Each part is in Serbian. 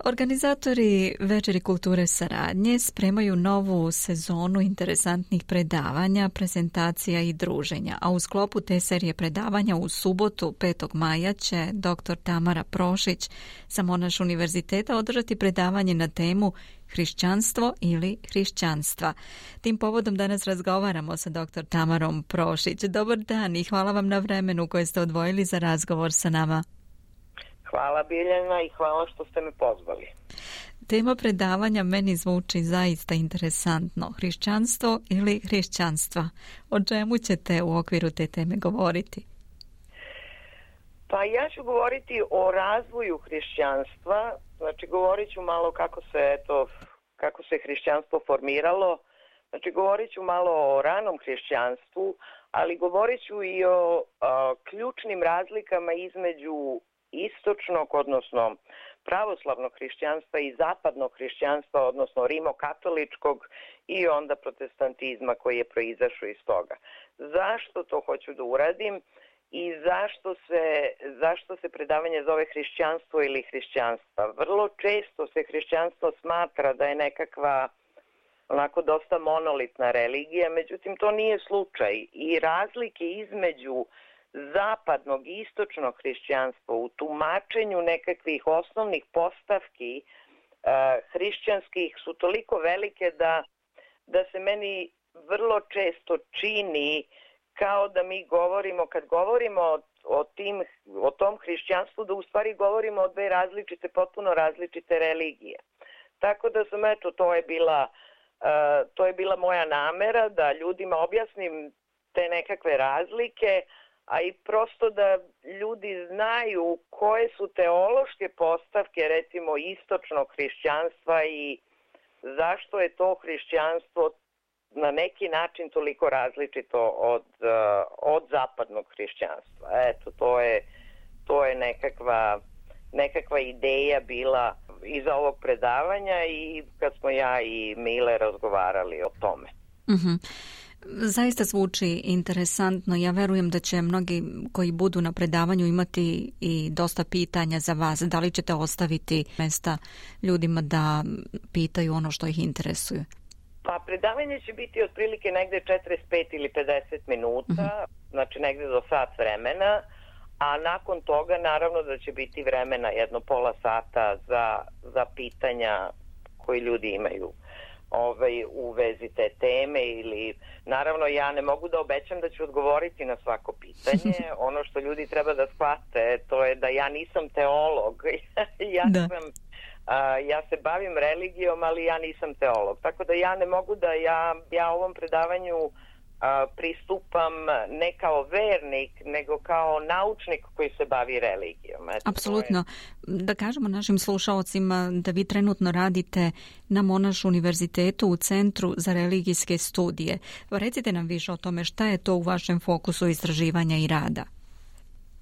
Organizatori Večeri kulture saradnje spremaju novu sezonu interesantnih predavanja, prezentacija i druženja, a u sklopu te serije predavanja u subotu 5. maja će dr. Tamara Prošić sa Monaš univerziteta održati predavanje na temu Hrišćanstvo ili hrišćanstva. Tim povodom danas razgovaramo sa dr. Tamarom Prošić. Dobar dan i hvala vam na vremenu koje ste odvojili za razgovor sa nama. Hvala Biljana i hvala što ste me pozvali. Tema predavanja meni zvuči zaista interesantno. Hrišćanstvo ili hrišćanstva? O čemu ćete u okviru te teme govoriti? Pa ja ću govoriti o razvoju hrišćanstva. Znači govorit ću malo kako se hrišćanstvo formiralo. Znači govorit ću malo o ranom hrišćanstvu, ali govorit ću i o ključnim razlikama između istočnog, odnosno pravoslavnog hrišćanstva i zapadnog hrišćanstva, odnosno rimokatoličkog i onda protestantizma koji je proizašao iz toga. Zašto to hoću da uradim i zašto se predavanje zove hrišćanstvo ili hrišćanstva? Vrlo često se hrišćanstvo smatra da je nekakva onako dosta monolitna religija, međutim to nije slučaj i razlike između zapadnog i istočnog hrišćanstva u tumačenju nekakvih osnovnih postavki hrišćanskih su toliko velike da se meni vrlo često čini kao da mi govorimo, kad govorimo o tom hrišćanstvu, da u stvari govorimo o dve potpuno različite religije. Tako da sam, to je bila moja namera da ljudima objasnim te nekakve razlike, a i prosto da ljudi znaju koje su teološke postavke, recimo, istočnog hrišćanstva i zašto je to hrišćanstvo na neki način toliko različito od zapadnog hrišćanstva. Eto, to je nekakva ideja bila iza ovog predavanja i kad smo ja i Mile razgovarali o tome. Mhm. Zaista zvuči interesantno. Ja verujem da će mnogi koji budu na predavanju imati i dosta pitanja za vas. Da li ćete ostaviti mesta ljudima da pitaju ono što ih interesuje? Pa predavanje će biti otprilike negde 45 ili 50 minuta, znači negde do sat vremena, a nakon toga naravno da će biti vremena jedno pola sata za pitanja koji ljudi imaju u vezi te teme ili naravno ja ne mogu da obećam da ću odgovoriti na svako pitanje. Ono što ljudi treba da shvate to je da ja nisam teolog. Ja se bavim religijom, ali ja nisam teolog. Tako da ja ne mogu da ja ovom predavanju pristupam ne kao vernik, nego kao naučnik koji se bavi religijom. Apsolutno. Da kažemo našim slušaocima da vi trenutno radite na Monaš univerzitetu u Centru za religijske studije. Recite nam više o tome šta je to u vašem fokusu istraživanja i rada.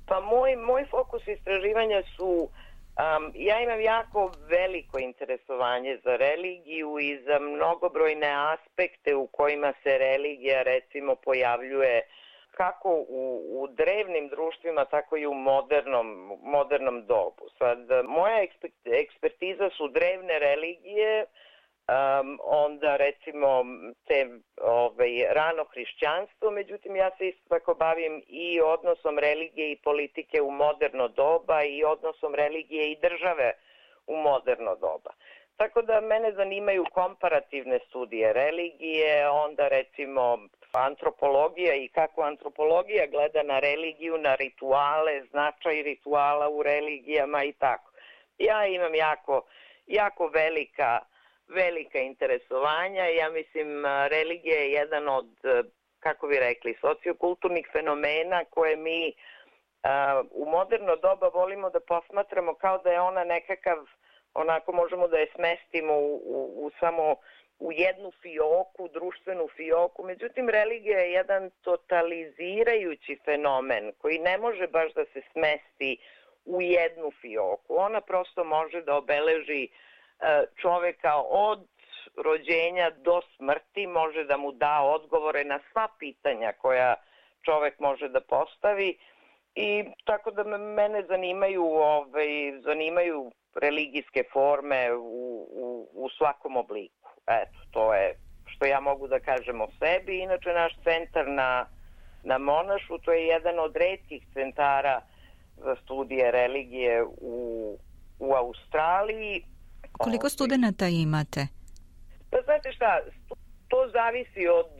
Pa moj fokus istraživanja su ja imam jako veliko interesovanje za religiju i za mnogobrojne aspekte u kojima se religija recimo pojavljuje kako u drevnim društvima, tako i u modernom dobu. Sad, moja ekspertiza su drevne religije, onda recimo te rano hrišćanstvo, međutim ja se isto tako bavim i odnosom religije i politike u moderno doba i odnosom religije i države u moderno doba. Tako da mene zanimaju komparativne studije religije, onda recimo antropologija i kako antropologija gleda na religiju, na rituale, značaj rituala u religijama i tako. Ja imam jako velika interesovanja. Ja mislim, religija je jedan od, kako bi rekli, sociokulturnih fenomena koje mi u moderno doba volimo da posmatramo kao da je ona nekakav, onako možemo da je smestimo samo u jednu fioku, društvenu fioku. Međutim, religija je jedan totalizirajući fenomen koji ne može baš da se smesti u jednu fioku. Ona prosto može da obeleži čoveka od rođenja do smrti, može da mu da odgovore na sva pitanja koja čovek može da postavi i tako da mene zanimaju religijske forme u svakom obliku. Eto, to je što ja mogu da kažem o sebi. Inače, naš centar na Monašu, to je jedan od retkih centara za studije religije u Australiji. Koliko studenata imate? Pa znate šta, to zavisi od...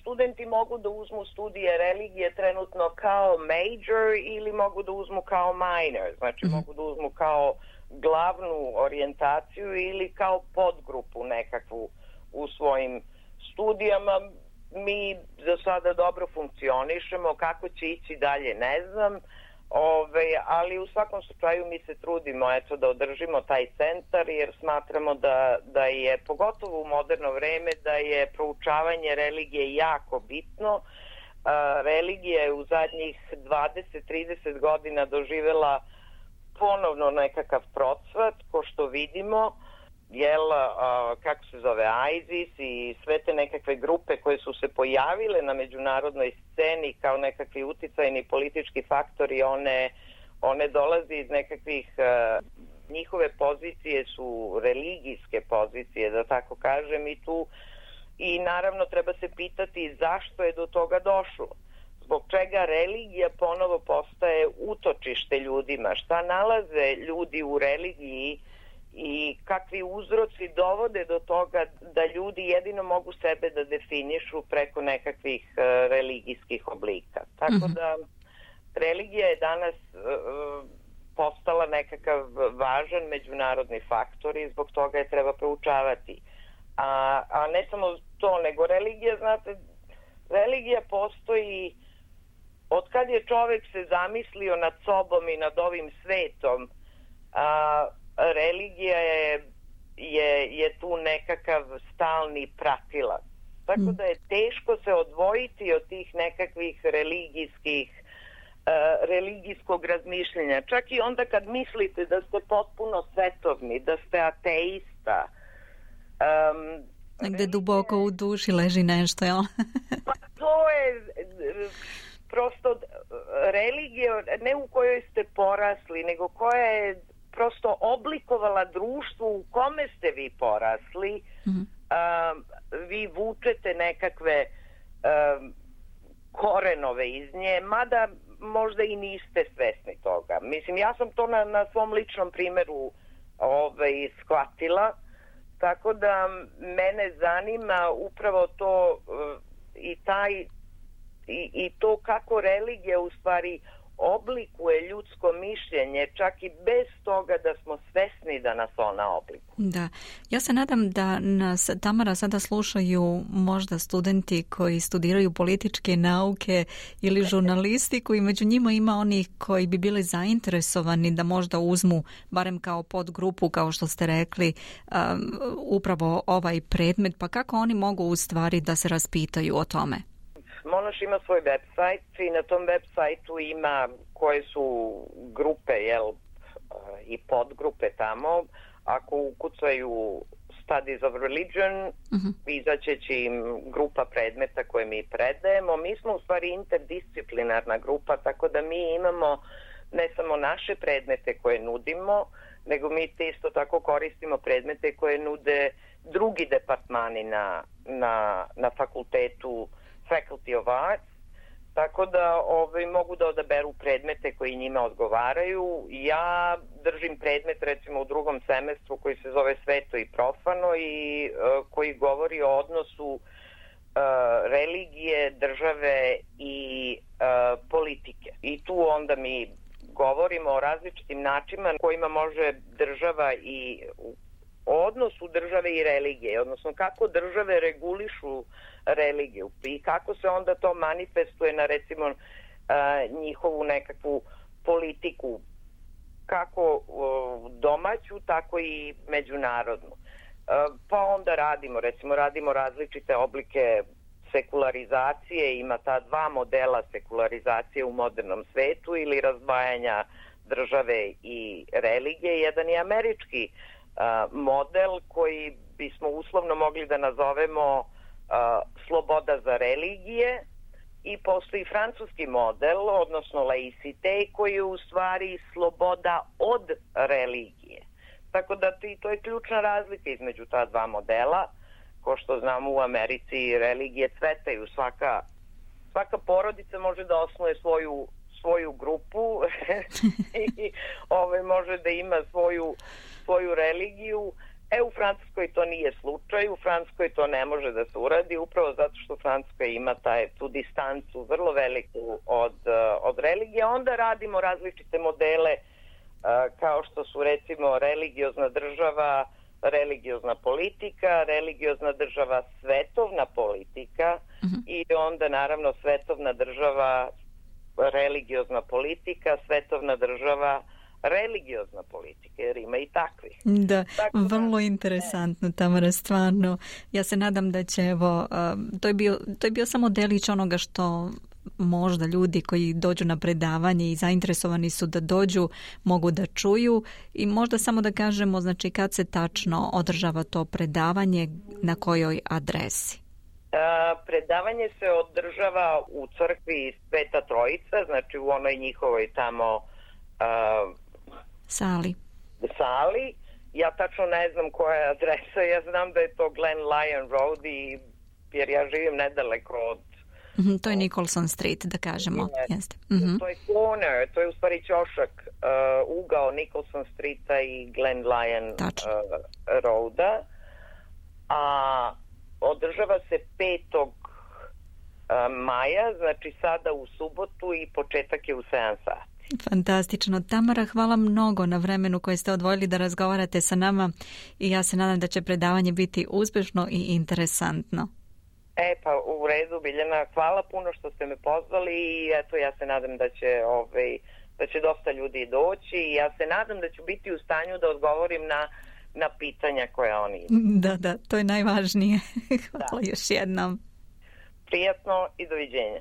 Studenti mogu da uzmu studije religije trenutno kao major ili mogu da uzmu kao minor. Znači mogu da uzmu kao glavnu orijentaciju ili kao podgrupu nekakvu u svojim studijama. Mi za sada dobro funkcionišemo, kako će ići dalje ne znam, ali u svakom slučaju mi se trudimo da održimo taj centar jer smatramo da je, pogotovo u moderno vreme, da je proučavanje religije jako bitno. Religija je u zadnjih 20-30 godina doživjela ponovno nekakav procvat, ko što vidimo, kako se zove, ISIS i sve te nekakve grupe koje su se pojavile na međunarodnoj sceni kao nekakvi uticajni politički faktori, one dolaze iz nekakvih, njihove pozicije su religijske pozicije, da tako kažem, i naravno treba se pitati zašto je do toga došlo. Zbog čega religija ponovo postaje utočište ljudima, šta nalaze ljudi u religiji i kakvi uzroci dovode do toga da ljudi jedino mogu sebe da definišu preko nekakvih religijskih oblika. Tako da religija je danas postala nekakav važan međunarodni faktor i zbog toga je treba proučavati. A ne samo to, nego religija, znate, religija postoji od kad je čovjek se zamislio nad sobom i nad ovim svetom. Religija je tu nekakav stalni pratilac. Tako da je teško se odvojiti od tih nekakvih religijskog razmišljenja. Čak i onda kad mislite da ste potpuno svetovni, da ste ateista. Negde duboko u duši leži nešto, jel? Pa to je prosto religija, ne u kojoj ste porasli, nego koja je prosto oblikovala društvo u kome ste vi porasli. Vi vučete nekakve korenove iz nje, mada možda i niste svesni toga. Mislim, ja sam to na svom ličnom primjeru shvatila, tako da mene zanima upravo to i to kako religija u stvari oblikuje ljudsko mišljenje, čak i bez toga da smo svesni da nas ona oblikuje. Da, ja se nadam da nas, Tamara, sada slušaju možda studenti koji studiraju političke nauke ili žurnalistiku i među njima ima onih koji bi bili zainteresovani da možda uzmu, barem kao podgrupu, kao što ste rekli, upravo ovaj predmet, pa kako oni mogu u stvari da se raspitaju o tome? Monaš ima svoj website i na tom websiteu ima koje su grupe i podgrupe tamo. Ako ukucaju Studies of Religion, izaće će im grupa predmeta koje mi predajemo. Mi smo u stvari interdisciplinarna grupa, tako da mi imamo ne samo naše predmete koje nudimo, nego mi isto tako koristimo predmete koje nude drugi departmani na fakultetu Faculty of Arts, tako da mogu da odaberu predmete koji njima odgovaraju. Ja držim predmet recimo u drugom semestru koji se zove Sveto i profano i koji govori o odnosu religije, države i politike. I tu onda mi govorimo o različitim načinima kojima može država i o odnosu države i religije, odnosno kako države regulišu religiju i kako se onda to manifestuje na recimo njihovu nekakvu politiku, kako domaću, tako i međunarodnu. Pa onda radimo različite oblike sekularizacije, ima ta dva modela sekularizacije u modernom svetu ili razdvajanja države i religije. Jedan je američki model koji bismo uslovno mogli da nazovemo sloboda za religije i postoji francuski model, odnosno laicite, koji je u stvari sloboda od religije. Tako da to je ključna razlika između ta dva modela. Ko što znamo, u Americi religije cvetaju, svaka porodica može da osnuje svoju grupu i može da ima svoju religiju. U Francuskoj to nije slučaj, u Francuskoj to ne može da se uradi, upravo zato što Francuska ima tu distancu vrlo veliku od religije. Onda radimo različite modele kao što su recimo religiozna država, religiozna politika, religiozna država, svetovna politika i onda naravno svetovna država, religiozna politika, svetovna država, religiozna politika, jer ima i takvih. Da, vrlo interesantno, Tamara, stvarno. Ja se nadam da će, to je bio samo delić onoga što možda ljudi koji dođu na predavanje i zainteresovani su da dođu mogu da čuju i možda samo da kažemo, znači, kad se tačno održava to predavanje, na kojoj adresi? Predavanje se održava u crkvi Sveta Trojica, znači u onoj njihovoj tamo sali. Ja tačno ne znam koja je adresa, ja znam da je to Glen Lyon Road jer ja živim nedaleko od... To je Nicholson Street, da kažemo. Jeste. To je corner, to je u stvari ćošak, ugao Nicholson Streeta i Glen Lyon Roada. A održava se 5. maja, znači sada u subotu i početak je u 7 sati. Fantastično. Tamara, hvala mnogo na vremenu koje ste odvojili da razgovarate sa nama i ja se nadam da će predavanje biti uspješno i interesantno. Pa u redu, Biljana, hvala puno što ste me pozvali i eto, ja se nadam da će dosta ljudi doći i ja se nadam da ću biti u stanju da odgovorim na pitanja koja oni imaju. Da, to je najvažnije. Hvala još jednom. Prijatno i doviđenja.